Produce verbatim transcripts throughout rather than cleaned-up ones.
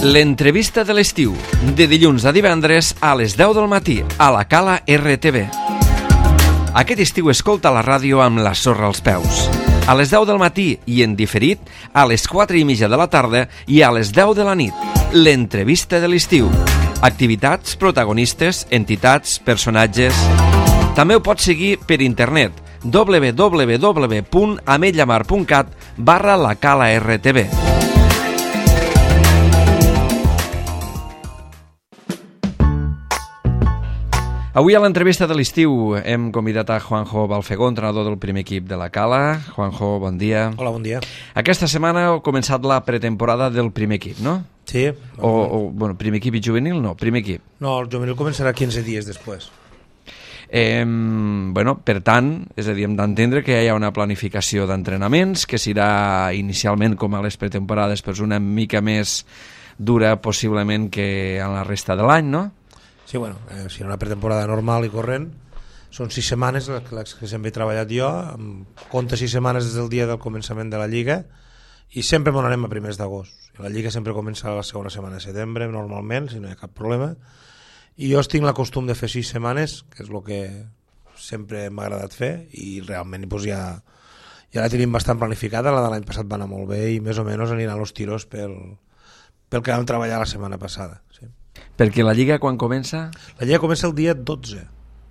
L'entrevista de l'estiu, de dilluns a divendres a les deu del matí, a la Cala R T V. Aquest estiu escolta la ràdio amb la sorra als peus. A les deu del matí i en diferit, a les quatre i mitja de la tarda i a les deu de la nit. L'entrevista de l'estiu. Activitats, protagonistes, entitats, personatges... També ho pots seguir per internet, w w w punt ametlla mar punt cat barra la Cala R T V. Avui a l'entrevista de l'estiu hem convidat a Juanjo Balfegó, entrenador del primer equip de la Cala. Juanjo, bon dia. Hola, bon dia. Aquesta setmana ha començat la pretemporada del primer equip, no? Sí. O, o bueno, primer equip i juvenil, no, primer equip. No, el juvenil començarà quinze dies després. Eh, bueno, per tant, és a dir, hem d'entendre que hi ha una planificació d'entrenaments que serà inicialment com a les pretemporades, però una mica més dura possiblement que en la resta de l'any, no? Sí, bueno, eh, si una pretemporada normal i corrent, són sis setmanes les, les que sempre he treballat jo, amb compte sis setmanes des del dia del començament de la Lliga, i sempre m'ho anem a primers d'agost. La Lliga sempre comença a la segona setmana de setembre, normalment, si no hi ha cap problema, i jo tinc la costum de fer sis setmanes, que és el que sempre m'ha agradat fer, i realment doncs, ja, ja la tenim bastant planificada. La de l'any passat va anar molt bé i més o menys aniran els tiros pel, pel que vam treballar la setmana passada. Sí. Perquè la Lliga quan comença? La Lliga comença el dia dotze,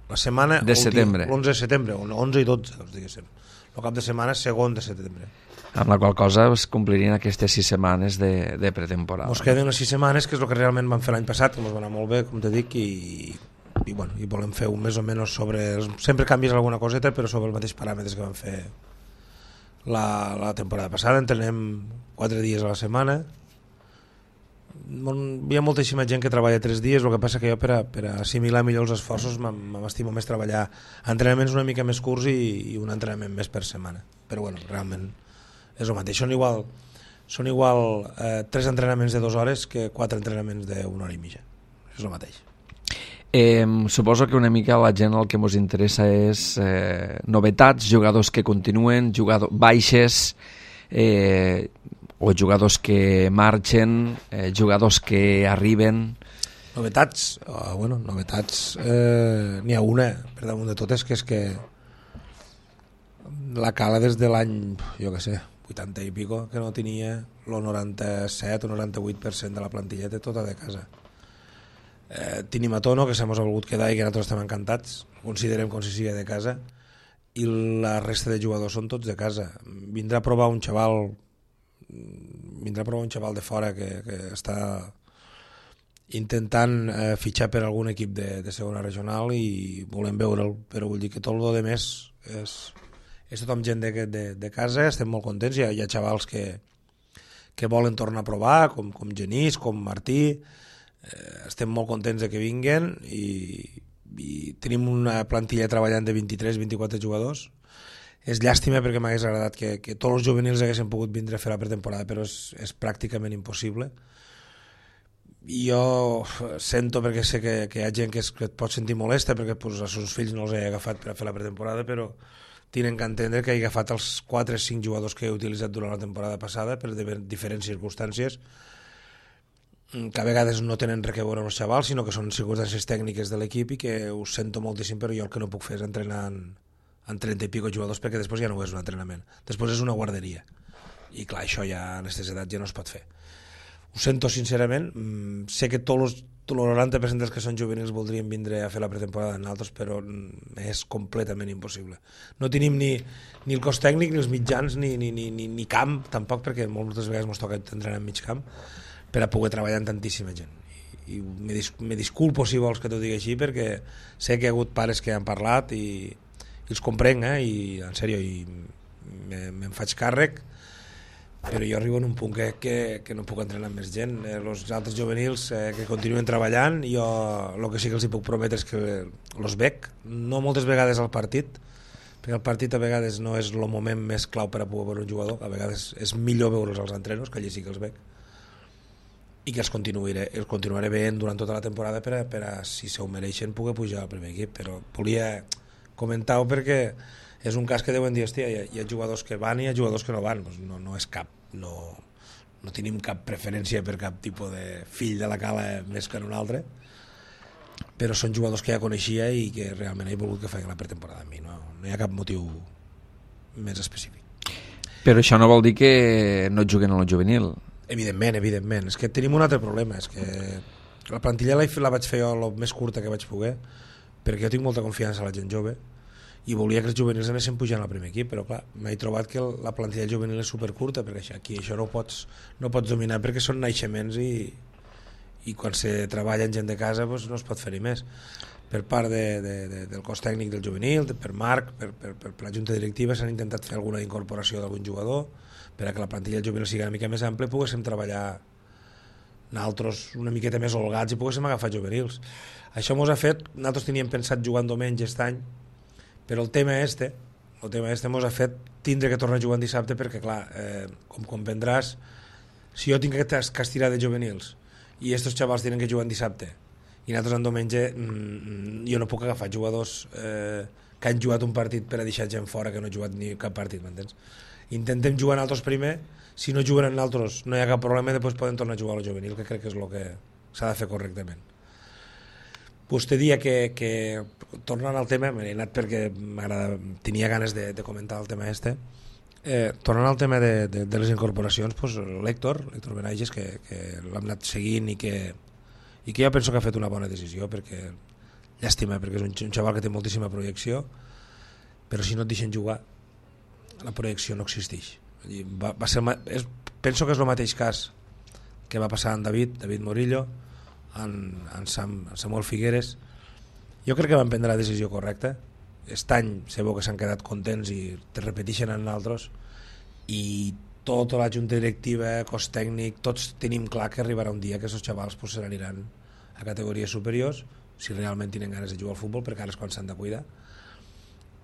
la setmana de setembre. l'onze de setembre, onze i dotze, doncs, diguéssim. El cap de setmana segon de setembre. Amb la qual cosa es complirien aquestes sis setmanes de, de pretemporada. Ens queden les sis setmanes, que és el que realment vam fer l'any passat, que ens va anar molt bé, com te dic, i, i, bueno, i volem fer un més o menys sobre... Sempre canvies alguna coseta, però sobre els mateixos paràmetres que vam fer la, la temporada passada. Entrenem quatre dies a la setmana. Hi ha moltíssima gent que treballa tres dies, el que passa que jo per a, per a assimilar millor els esforços m'estimo més treballar entrenaments una mica més curts i, i un entrenament més per setmana. Però bueno, realment és el mateix. Són igual, són igual eh, tres entrenaments de dues hores que quatre entrenaments d'una hora i mitja. És el mateix. Eh, suposo que una mica la gent el que ens interessa és eh, novetats, jugadors que continuen, jugadors baixes, eh, o jugadors que marxen, eh, jugadors que arriben... Novetats? Oh, bueno, novetats... Eh, n'hi ha una, per damunt de totes, que és que la Cala des de l'any, jo què sé, vuitanta i pico, que no tenia el noranta-set o noranta-vuit per cent de la plantilla de tota de casa. Eh, tenim a Tono, que se mos ha volgut quedar i que nosaltres estem encantats, considerem com si sigui de casa, i la resta de jugadors són tots de casa. Vindrà a provar un xaval vindrà a provar un xaval de fora que, que està intentant eh, fitxar per algun equip de, de segona regional i volem veure'l, però vull dir que tot el de més és, és tothom gent de, de, de casa, estem molt contents, hi ha, hi ha xavals que, que volen tornar a provar, com, com Genís, com Martí, eh, estem molt contents de que vinguen i, i tenim una plantilla treballant de vint-i-tres vint-i-quatre jugadors. És llàstima perquè m'hagués agradat que, que tots els juvenils haguessin pogut vindre a fer la pretemporada, però és, és pràcticament impossible. I jo sento, perquè sé que, que hi ha gent que, es, que et pot sentir molesta perquè pues, els seus fills no els he agafat per a fer la pretemporada, però tenen que entendre que he agafat els quatre o cinc jugadors que he utilitzat durant la temporada passada per diferents circumstàncies, que a vegades no tenen res a veure amb els xavals, sinó que són circumstàncies tècniques de l'equip i que ho sento moltíssim, però jo el que no puc fer és entrenar en en trenta i pico jugadors, perquè després ja no és un entrenament, després és una guarderia i clar, això ja en aquestes edats ja no es pot fer. Ho sento sincerament, sé que tots el noranta per cent dels que són juvenils voldrien vindre a fer la pretemporada en altres, però és completament impossible. No tenim ni, ni el cos tècnic, ni els mitjans, ni, ni, ni, ni, ni camp tampoc, perquè moltes vegades ens toca entrenar en mig camp per a poder treballar amb tantíssima gent. I, i me, dis, me disculpo si vols que t'ho digui així, perquè sé que hi ha hagut pares que han parlat i i els comprenc, eh? I en sèrio, i me'n me faig càrrec, però jo arribo en un punt que, que, que no puc entrenar amb més gent. Eh, els altres juvenils eh, que continuen treballant, jo el que sí que els hi puc prometre és que els veig, no moltes vegades al partit, perquè el partit a vegades no és el moment més clau per a poder veure un jugador, a vegades és millor veure'ls als entrenos, que allí sí que els veig, i que els continuaré, els continuaré veient durant tota la temporada per a, per a si se ho mereixen, poder pujar al primer equip, però volia comentar-ho perquè és un cas que deuen dir, hòstia, hi ha, hi ha jugadors que van i hi ha jugadors que no van, doncs no, no és cap, no, no tenim cap preferència per cap tipus de fill de la Cala més que en un altre, però són jugadors que ja coneixia i que realment he volgut que faci la pretemporada amb mi, no, no hi ha cap motiu més específic. Però això no vol dir que no juguen a la juvenil. Evidentment, evidentment. És que tenim un altre problema, és que la plantilla la, la vaig fer jo el més curta que vaig poder, perquè jo tinc molta confiança en la gent jove i volia que els juvenils anessin pujant al primer equip, però clar, m'he trobat que la plantilla juvenil és supercurta, perquè això, aquí això no ho pots, no pots dominar perquè són naixements i, i quan se treballa en gent de casa doncs no es pot fer-hi més. Per part de, de, de, del cos tècnic del juvenil, de, per Marc, per, per, per, per la junta directiva s'han intentat fer alguna incorporació d'algun jugador per a que la plantilla juvenil sigui una mica més ampla i poguéssim treballar nosaltres una miqueta més holgats i poguéssim agafar juvenils. Això mos ha fet, nosaltres teníem pensat jugar en diumenge aquest any, però el tema este, el tema este mos ha fet tindre que tornar a jugar en dissabte perquè, clar, eh, com comprendràs, si jo tinc que estirar de juvenils i estos xavals tenen que jugar en dissabte i nosaltres en diumenge, mmm, jo no puc agafar jugadors eh, que han jugat un partit per a deixar gent fora que no ha jugat ni cap partit, m'entens? Intentem jugar nosaltres primer, si no juguen nosaltres no hi ha cap problema, després poden tornar a jugar al juvenil, que crec que és el que s'ha de fer correctament. Vostè dia que, que tornant al tema, m'he anat perquè tenia ganes de, de comentar el tema este, eh, tornant al tema de, de, de les incorporacions, pues, l'Héctor, l'Héctor Benages, que, que l'hem anat seguint i que, i que jo penso que ha fet una bona decisió, perquè llàstima, perquè és un, un xaval que té moltíssima projecció, però si no et deixen jugar, la projecció no existeix. Va, va ser, és, penso que és el mateix cas que va passar amb David, David Morillo, en, en, Sam, en Samuel Figueres. Jo crec que van prendre la decisió correcta. Aquest any sé que s'han quedat contents i te repeteixen en altres, i tota la junta directiva, cos tècnic, tots tenim clar que arribarà un dia que aquests xavals pues, se n'aniran a categories superiors si realment tenen ganes de jugar al futbol, perquè ara és quan s'han de cuidar,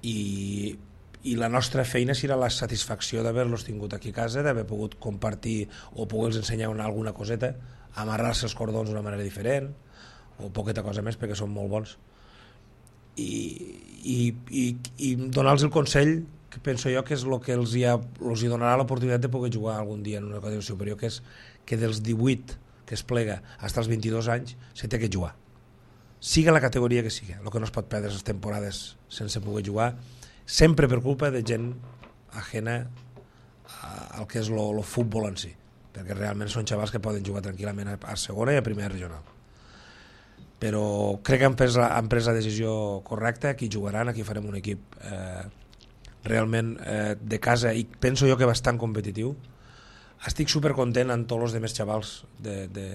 i, i la nostra feina serà la satisfacció d'haver-los tingut aquí a casa, d'haver pogut compartir o poder-los ensenyar una, alguna coseta, amarrar-se els cordons d'una manera diferent o poqueta cosa més perquè són molt bons, i, i, i, i donar-los el consell que penso jo que és el que els hi, ha, els hi donarà l'oportunitat de poder jugar algun dia en una categoria superior, que és que dels divuit que es plega fins als vint-i-dos anys se té que jugar, siga la categoria que siga. El que no es pot perdre les temporades sense poder jugar, sempre per culpa de gent ajena al que és el futbol en si, perquè realment són xavals que poden jugar tranquil·lament a, a segona i a primera regional. Però crec que han pres, la, han pres la decisió correcta, aquí jugaran, aquí farem un equip eh, realment eh, de casa i penso jo que bastant competitiu. Estic supercontent amb tots els demés xavals de, de,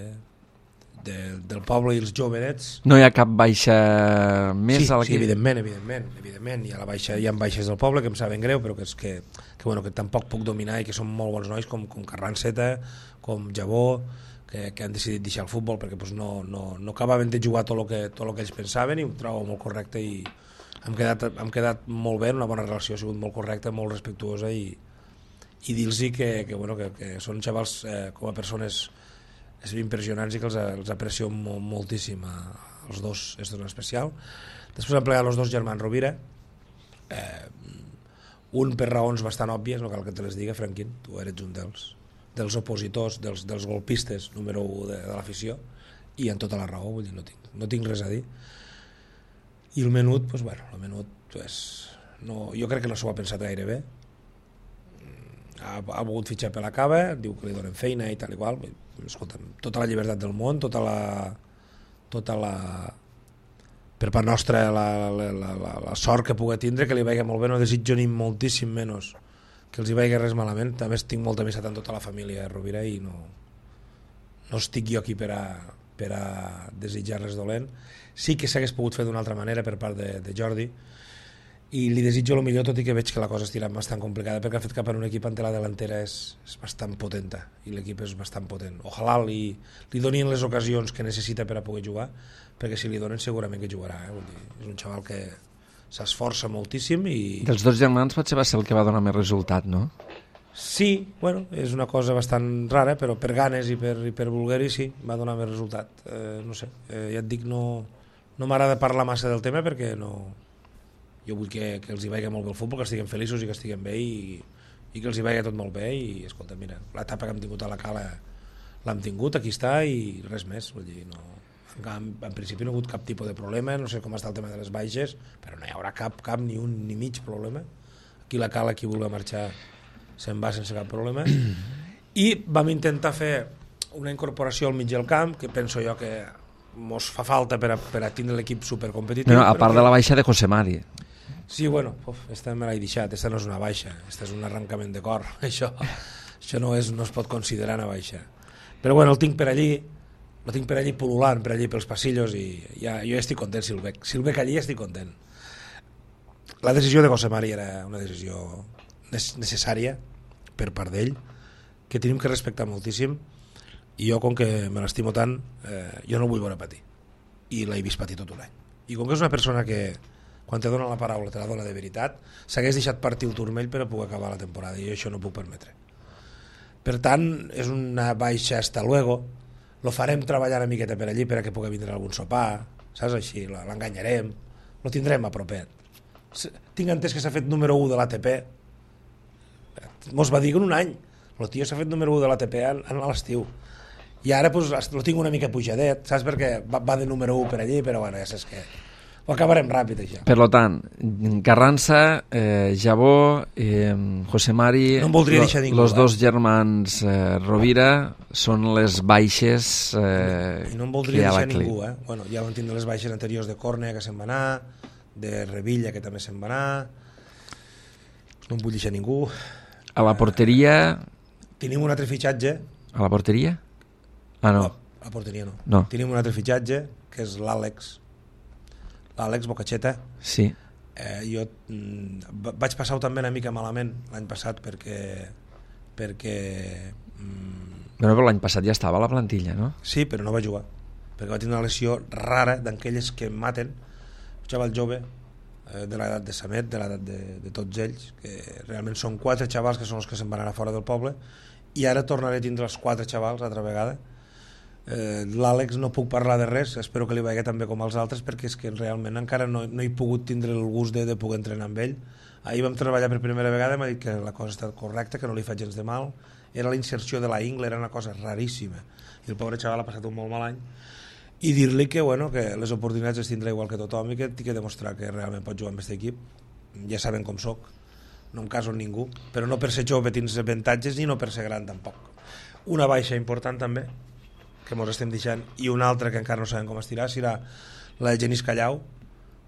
de, del poble i els jovenets. No hi ha cap baixa més? Sí, a sí, evidentment, evidentment, evidentment. Hi ha, la baixa, hi ha baixes del poble que em saben greu, però que, és que, que, bueno, que tampoc puc dominar i que són molt bons nois com, com Carranceta, com Jabó, que, que han decidit deixar el futbol perquè pues, no, no, no acabaven de jugar tot el que, tot el que ells pensaven, i ho trobo molt correcte i hem quedat, hem quedat molt bé, una bona relació, ha sigut molt correcta, molt respectuosa, i, i dir-los que, que, bueno, que, que són xavals eh, com a persones és impressionants i que els, els aprecio molt, moltíssim a, els dos, és en especial. Després han plegat els dos germans Rovira, eh, un per raons bastant òbvies, no cal que te les diga, Franquín, tu eres un dels, dels opositors, dels, dels golpistes número u de, de l'afició, i en tota la raó, vull dir, no tinc, no tinc res a dir. I el menut, doncs, bueno, el menut, pues, no, jo crec que no s'ho ha pensat gaire bé, ha, ha volgut fitxar per la cava, diu que li donen feina i tal i qual. Escolta'm, tota la llibertat del món, tota la, tota la per part nostra la, la, la, la, la sort que pugui tindre, que li vagi molt bé, no desitjo ni moltíssim menys que els hi vagi res malament. També tinc molta amistat amb tota la família Rovira i no, no estic jo aquí per a, per a desitjar res dolent. Sí que s'hagués pogut fer d'una altra manera per part de, de Jordi, i li desitjo el millor, tot i que veig que la cosa estirà bastant complicada, perquè ha fet cap en un equip en la delantera és, és bastant potenta, i l'equip és bastant potent. Ojalà li, li donin les ocasions que necessita per a poder jugar, perquè si li donen segurament que jugarà, eh? Vull dir, és un xaval que s'esforça moltíssim i... Dels dos germans potser va ser el que va donar més resultat, no? Sí, bueno, és una cosa bastant rara, però per ganes i per, i per voler-hi sí, va donar més resultat. Eh, no sé, eh, ja et dic, no, no m'agrada parlar massa del tema perquè no... Jo vull que, que els hi vagi molt bé el futbol, que estiguem feliços i que estiguem bé, i, i que els hi vegi tot molt bé i escolta, mira, l'etapa que hem tingut a la Cala l'hem tingut, aquí està i res més, vull dir, no, en, en principi no ha hagut cap tipus de problema, no sé com està el tema de les baixes, però no hi haurà cap, cap ni un ni mig problema. Aquí la Cala, qui vulgui marxar se'n va sense cap problema, i vam intentar fer una incorporació al mig del camp que penso jo que mos fa falta per a, per a tindre l'equip supercompetitiu. No, a part de la baixa de José Mari. Sí, bueno, uf, esta me l'he deixat, esta no és una baixa, esta és un arrencament de cor, això, això no, és, no es pot considerar una baixa. Però bueno, el tinc per allí, el tinc per allí pol·lulant, per allí pels passillos i ja, jo ja estic content si el veig, si el veig allí estic content. La decisió de José Mari era una decisió necessària per part d'ell, que tenim que respectar moltíssim, i jo com que me l'estimo tant, eh, jo no vull veure patir, i l'he vist patir tot un any. I com que és una persona que quan te dona la paraula te la dona de veritat, s'hagués deixat partir el turmell per a poder acabar la temporada i jo això no puc permetre. Per tant, és una baixa hasta luego, lo farem treballar una miqueta per allí per a que pugui vindre algun sopar, saps així, l'enganyarem, lo tindrem a propet. Tinc entès que s'ha fet número u de l'A T P, mos va dir que en un any, el tio s'ha fet número u de l'A T P a l'estiu, i ara pues, lo tinc una mica pujadet, saps, perquè va, va de número u per allí, però bueno, ja saps que ho acabarem ràpid, això. Per tant, Carranza, eh, Jabó, eh, José Mari, no em voldria deixar ningú, los eh? dos germans eh, Rovira són les baixes eh, I no em voldria deixar ningú, eh? Bueno, ja vam tindre les baixes anteriors de Córnea, que se'n va anar, de Revilla, que també se'n va anar, no em vull deixar ningú. A la porteria... Tenim un altre fitxatge. A la porteria? Ah, no. A la porteria no. no. Tenim un altre fitxatge, que és l'Àlex, l'Àlex Bocacheta. Sí. Eh, jo mm, vaig passar-ho també una mica malament l'any passat perquè... perquè mm, bueno, però l'any passat ja estava a la plantilla, no? Sí, però no va jugar, perquè va tenir una lesió rara d'aquelles que maten, un xaval jove, eh, de l'edat de Samet, de l'edat de, de tots ells, que realment són quatre xavals que són els que se'n van anar fora del poble, i ara tornaré a tindre els quatre xavals altra vegada. Eh, l'Àlex no puc parlar de res, espero que li vagi també com als altres, perquè és que realment encara no, no he pogut tindre el gust de, de poder entrenar amb ell. Ahir vam treballar per primera vegada, m'ha dit que la cosa està correcta, que no li fa gens de mal, era la inserció de la ingle, era una cosa raríssima, i el pobre xaval ha passat un molt mal any, i dir-li que, bueno, que les oportunitats les tindrà igual que tothom i que tinc que demostrar que realment pot jugar amb aquest equip. Ja saben com soc, no em caso amb ningú, però no per ser jove tens avantatges ni no per ser gran tampoc. Una baixa important també que ens estem deixant, i una altra que encara no sabem com estirà, serà la de Genís Callau,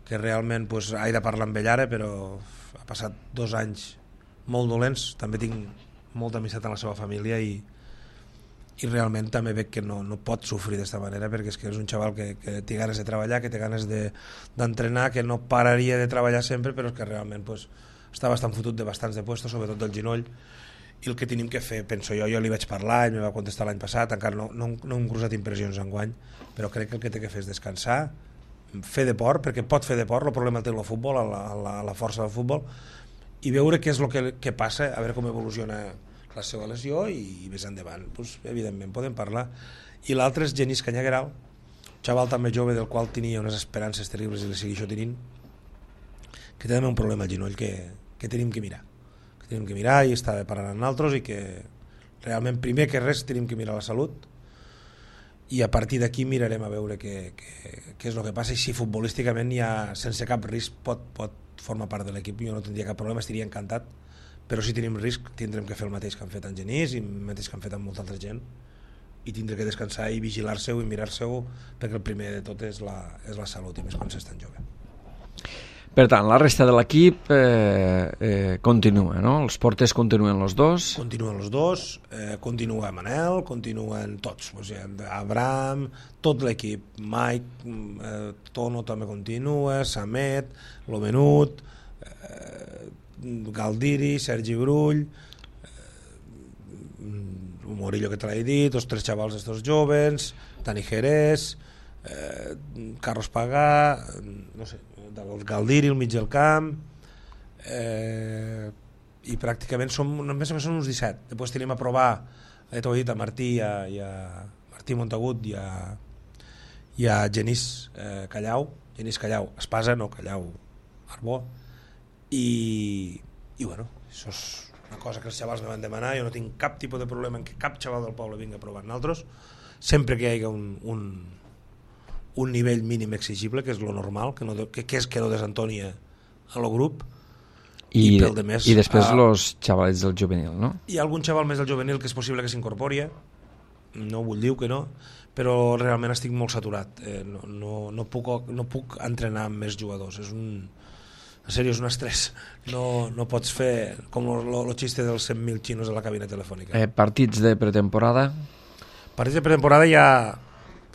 que realment pues, he de parlar amb ell ara, però ha passat dos anys molt dolents, també tinc molta amistat en la seva família i, i realment també veig que no, no pot sofrir d'esta manera, perquè és que és un xaval que, que té ganes de treballar, que té ganes d'entrenar, de, que no pararia de treballar sempre, però és que realment pues, està bastant fotut de bastants de puestos, sobretot del genoll, i el que tenim que fer, penso jo, jo li vaig parlar, ell me va contestar l'any passat, encara no, no, no hem cruzat impressions enguany, però crec que el que té que fer és descansar, fer deport, perquè pot fer deport, el problema té el futbol, la, la, la força del futbol, i veure què és el que, que passa, a veure com evoluciona la seva lesió, i, i més endavant, doncs, evidentment, podem parlar. I l'altre és Genís Canyagueral, xaval també jove del qual tenia unes esperances terribles i les segueixo tenint, que té també un problema al genoll que, que tenim que mirar. Tenim que mirar i està parlant amb nosaltres, i que realment primer que res tenim que mirar la salut, i a partir d'aquí mirarem a veure què, què, què és el que passa, i si futbolísticament ja sense cap risc pot, pot formar part de l'equip. Jo no tindria cap problema, estaria encantat, però si tenim risc tindrem que fer el mateix que han fet en Genís i el mateix que han fet amb molta altra gent, i tindré que descansar i vigilar-se-ho i mirar-se-ho, perquè el primer de tot és la, és la salut, i més quan s'és tan jove. Per tant, la resta de l'equip eh, eh, continua, no? Els porters continuen els dos. Continuen els dos, eh, continua Manel, continuen tots, o sigui, Abraham, tot l'equip, Mike, eh, Tono també continua, Samet, Lomenut, eh, Galdiri, Sergi Brull, eh, Morillo, que te l'he dit, els tres xavals estos joves, Dani Jerez, eh, Carlos Pagà, no sé, el Galdiri al mig del camp, eh, i pràcticament som, només són uns disset. Després tenim a provar, he dit a Martí i a, i a Martí Montagut i a, i a Genís eh, Callau, Genís Callau Espasa, no Callau Arbó, i, i bueno, això és una cosa que els xavals me van demanar, jo no tinc cap tipus de problema en que cap xaval del poble vingui a provar nosaltres, sempre que hi hagi un, un, un nivell mínim exigible, que és lo normal, que, no, que, que és que no desentoni a lo grup. I, i, pel de més, i després uh, los xavalets del juvenil, no? Hi ha algun xaval més del juvenil que és possible que s'incorpori, no vull dir que no, però realment estic molt saturat, eh, no, no, no, puc, no puc entrenar amb més jugadors, és un, en sèrio, és un estrès, no, no pots fer com el xiste dels cent mil xinos a la cabina telefònica. Eh, partits de pretemporada? Partits de pretemporada ja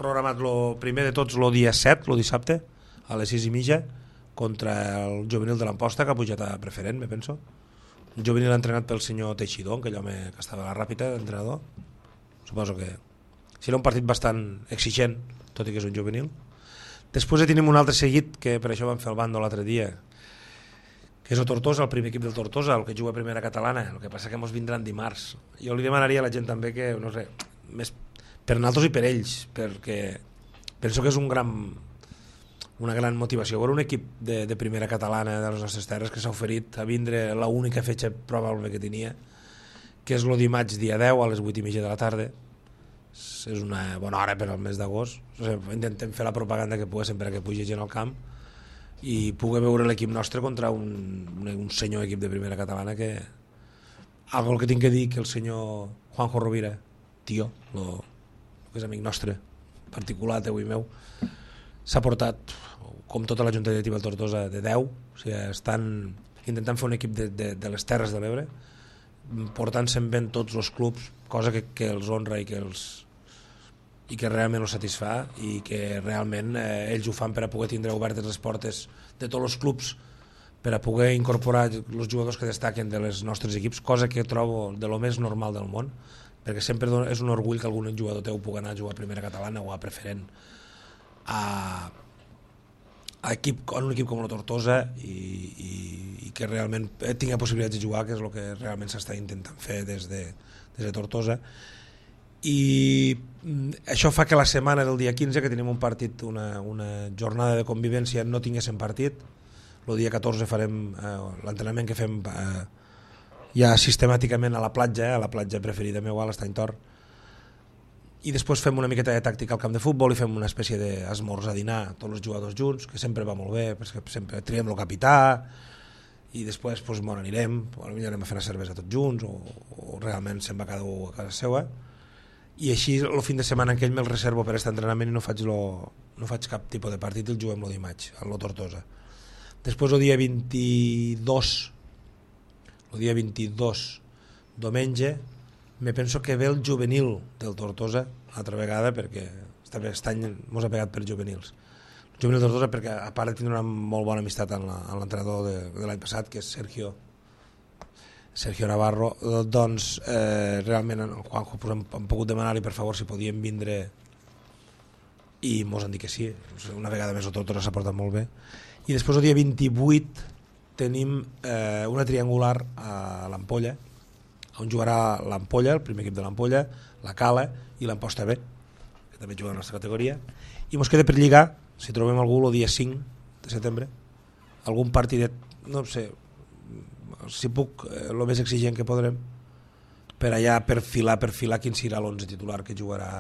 programat lo primer de tots el dia set, el dissabte, a les sis i mitja, contra el juvenil de l'Amposta, que ha pujat a preferent, me penso. Un juvenil entrenat pel senyor Teixidor, aquell home que estava a la Ràpita, entrenador. Suposo que serà un partit bastant exigent, tot i que és un juvenil. Després tenim un altre seguit, que per això vam fer el bando l'altre dia, que és el Tortosa, el primer equip del Tortosa, el que juga a primera catalana, el que passa que ens vindran dimarts. Jo li demanaria a la gent també que, no sé, més per nosaltres i per ells, perquè penso que és un gran... una gran motivació. Veure un equip de, de primera catalana de les nostres terres que s'ha oferit a vindre l'única fetge probable que tenia, que és el dimarts dia deu a les vuit i mitja de la tarda. És una bona hora per al mes d'agost. O sigui, intentem fer la propaganda que poguéssim per a que pugi gent al camp i pugui veure l'equip nostre contra un, un, un senyor equip de primera catalana que... Algo que tinc que dir que el senyor Juanjo Rovira, tio, lo, lo que és amic nostre, particular, teu i meu, s'ha portat, com tota la Junta Directiva del Tortosa, de deu, o sigui, estan intentant fer un equip de, de, de les Terres de l'Ebre, portant-se'n ben tots els clubs, cosa que, que els honra i que, els, i que realment els satisfà i que realment eh, ells ho fan per a poder tindre obertes les portes de tots els clubs per a poder incorporar els jugadors que destaquen de les nostres equips, cosa que trobo de lo més normal del món, perquè sempre és un orgull que algun jugador teu pugui anar a jugar a primera catalana o a preferent a, a, equip, a un equip com la Tortosa i, i, i que realment tingui possibilitats de jugar, que és el que realment s'està intentant fer des de, des de Tortosa. I això fa que la setmana del dia quinze, que tenim un partit, una, una jornada de convivència, no tinguéssim partit. El dia catorze farem eh, l'entrenament que fem eh, ja sistemàticament a la platja, eh, a la platja preferida meva, a l'Estany Tor, i després fem una miqueta de tàctica al camp de futbol i fem una espècie d'esmorzar, dinar, tots els jugadors junts, que sempre va molt bé, perquè sempre triem el capità, i després doncs, bueno, anirem, potser anem a fer una cervesa tots junts, o, o realment se'n va cada un a casa seva, i així el fin de setmana en aquell me'l reservo per aquest entrenament i no faig, lo, no faig cap tipus de partit i el juguem el dimarts, a la Tortosa. Després el dia vint-i-dos, el dia vint-i-dos, diumenge, me penso que ve el juvenil del Tortosa altra vegada, perquè aquest any mos ha pegat per juvenils. El juvenil del Tortosa perquè a part de tindre una molt bona amistat amb l'entrenador de, de l'any passat, que és Sergio Sergio Navarro, doncs eh, realment en Juanjo pues, hem, hem pogut demanar-li per favor si podíem vindre i mos han dit que sí. Una vegada més el Tortosa s'ha portat molt bé. I després el dia vint-i-vuit tenim eh, una triangular a l'Ampolla, on jugarà l'Ampolla, el primer equip de l'Ampolla, la Cala i l'Amposta B, que també juga a la nostra categoria, i mos queda per lligar, si trobem algú el dia cinc de setembre, algun partidet, no sé, si puc, el més exigent que podrem, per allà perfilar, perfilar quin serà l'onze titular que jugarà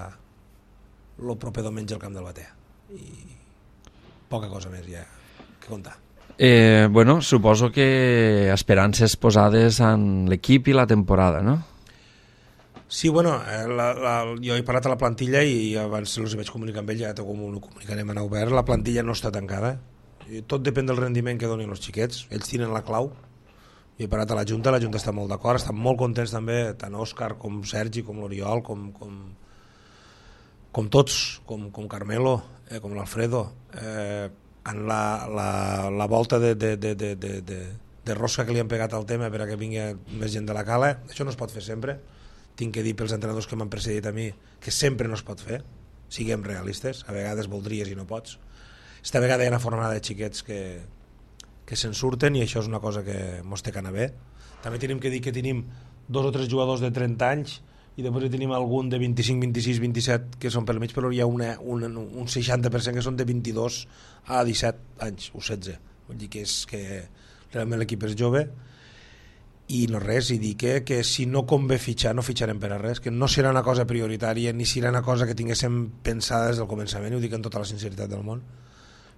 el proper diumenge al camp del Batea. I poca cosa més ja que contar. Eh, bueno, suposo que esperances posades en l'equip i la temporada, no? Sí, bueno, la, la, jo he parlat a la plantilla i abans els vaig comunicar amb ell, ja com ho comunicarem en obert, la plantilla no està tancada, tot depèn del rendiment que donin els xiquets, ells tenen la clau. Jo he parlat a la Junta, la Junta està molt d'acord, estan molt contents també, tant Òscar com Sergi, com l'Oriol, com, com, com tots, com, com Carmelo, eh, com l'Alfredo, eh, en la, la, la volta de, de, de, de, de, de, de rosca que li han pegat al tema per a que vingui més gent de la Cala. Això no es pot fer sempre, tinc que dir pels entrenadors que m'han precedit a mi que sempre no es pot fer, siguem realistes, a vegades voldries i no pots. Esta vegada hi ha una fornada de xiquets que, que se'n surten i això és una cosa que mos té que anar bé. També tenim que dir que tenim dos o tres jugadors de trenta anys i després tenim algun de vint-i-cinc, vint-i-sis, vint-i-set que són pel mig, però hi ha una, una, un seixanta per cent que són de vint-i-dos a disset anys o setze, vull dir que, és, que realment l'equip és jove i no res, i dir que, que si no convé fitxar no fitxarem per a res, que no serà una cosa prioritària ni serà una cosa que tinguéssim pensada des del començament, i ho dic amb tota la sinceritat del món.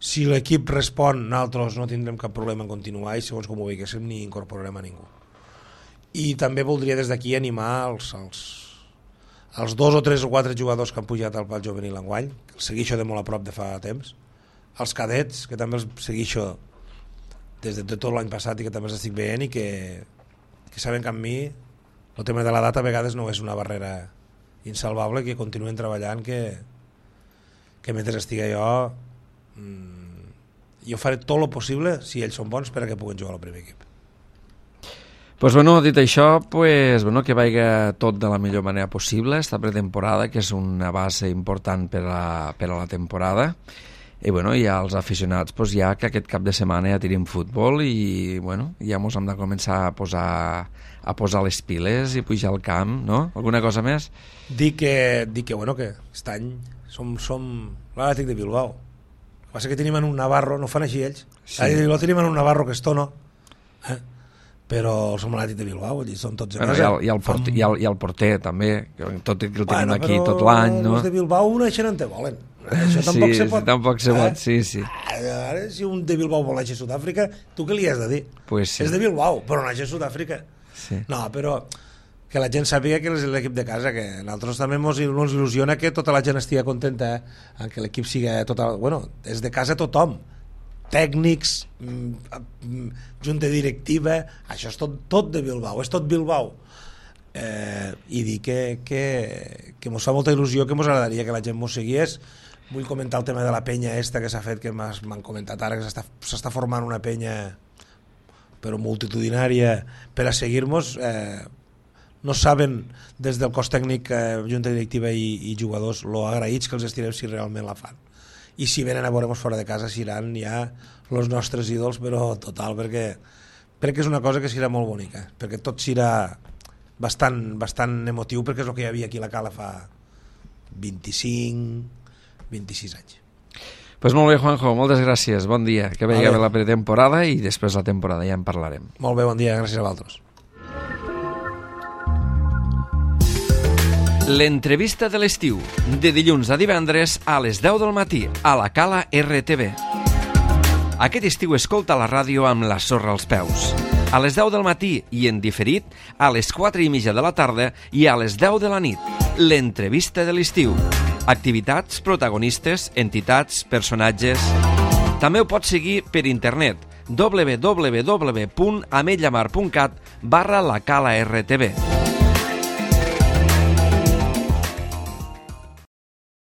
Si l'equip respon, nosaltres no tindrem cap problema en continuar, i segons com ho veiéssim ni incorporarem a ningú. I també voldria des d'aquí animar els, els, els dos o tres o quatre jugadors que han pujat al pal juvenil enguany, que els segueixo de molt a prop de fa temps, els cadets, que també els segueixo des de tot l'any passat i que també els estic veient, i que que saben que amb mi el tema de l'edat a vegades no és una barrera insalvable, que continuen treballant, que, que mentre estigui jo mmm, jo faré tot el possible, si ells són bons, per a que puguen jugar al primer equip. Pues bueno, dit això, pues, bueno, que vaiga tot de la millor manera possible, esta pretemporada, que és una base important per a, per a la temporada. I bueno, ja els aficionats pues, ja que aquest cap de setmana ja tirim futbol i bueno, ja mos hem de començar a posar a posar les piles i pujar al camp, no? Alguna cosa més? Dic que, dic que, bueno, que aquest any som, som l'Atlètic de Bilbao. El que passa que tenim en un Navarro, no fan així ells, sí. L'Atlètic de Bilbao tenim en un Navarro que esto no, eh? Però som l'Atlètic de Bilbao, allí són tots a bueno, casa. I el, i, el porter, i, el, i el porter també, tot el que el tenim bueno, aquí tot l'any, no? Els de Bilbao naixen on te volen. Això tampoc sí, se pot. Tampoc se pot, eh? sí, sí. Ara, si un de Bilbao vol néixer a Sud-àfrica, tu què li has de dir? Pues sí. És de Bilbao, però néixer a Sud-àfrica. Sí. No, però que la gent sàpiga que és l'equip de casa, que a nosaltres també ens il·lusiona que tota la gent estigui contenta, eh? Que l'equip sigui total... Bueno, és de casa tothom. Tècnics, junta directiva, això és tot, tot de Bilbao, és tot Bilbao. Eh, i dir que, que, que mos fa molta il·lusió, que mos agradaria que la gent mos seguís. Vull comentar el tema de la penya esta que s'ha fet, que m'han comentat ara, que s'està formant una penya però multitudinària per a seguir-nos. Eh, no saben des del cos tècnic, eh, junta directiva i, i jugadors, lo agraïts que els estirem si realment la fan. I si venen a veure-nos fora de casa seran ja els nostres ídols, però total, perquè crec que és una cosa que serà molt bonica, perquè tot serà bastant, bastant emotiu, perquè és el que hi havia aquí a la Cala fa vint-i-cinc vint-i-sis anys. Pues molt bé, Juanjo, moltes gràcies, bon dia, que vegi bé la pretemporada i després la temporada, ja en parlarem. Molt bé, bon dia, gràcies a vosaltres. L'entrevista de l'estiu, de dilluns a divendres a les deu del matí, a la Cala R T V. Aquest estiu escolta la ràdio amb la sorra als peus. A les deu del matí i en diferit a les quatre i mitja de la tarda i a les deu de la nit. L'entrevista de l'estiu. Activitats, protagonistes, entitats, personatges... També ho pots seguir per internet w w w punt ametlllamar punt cat barra la Cala R T V.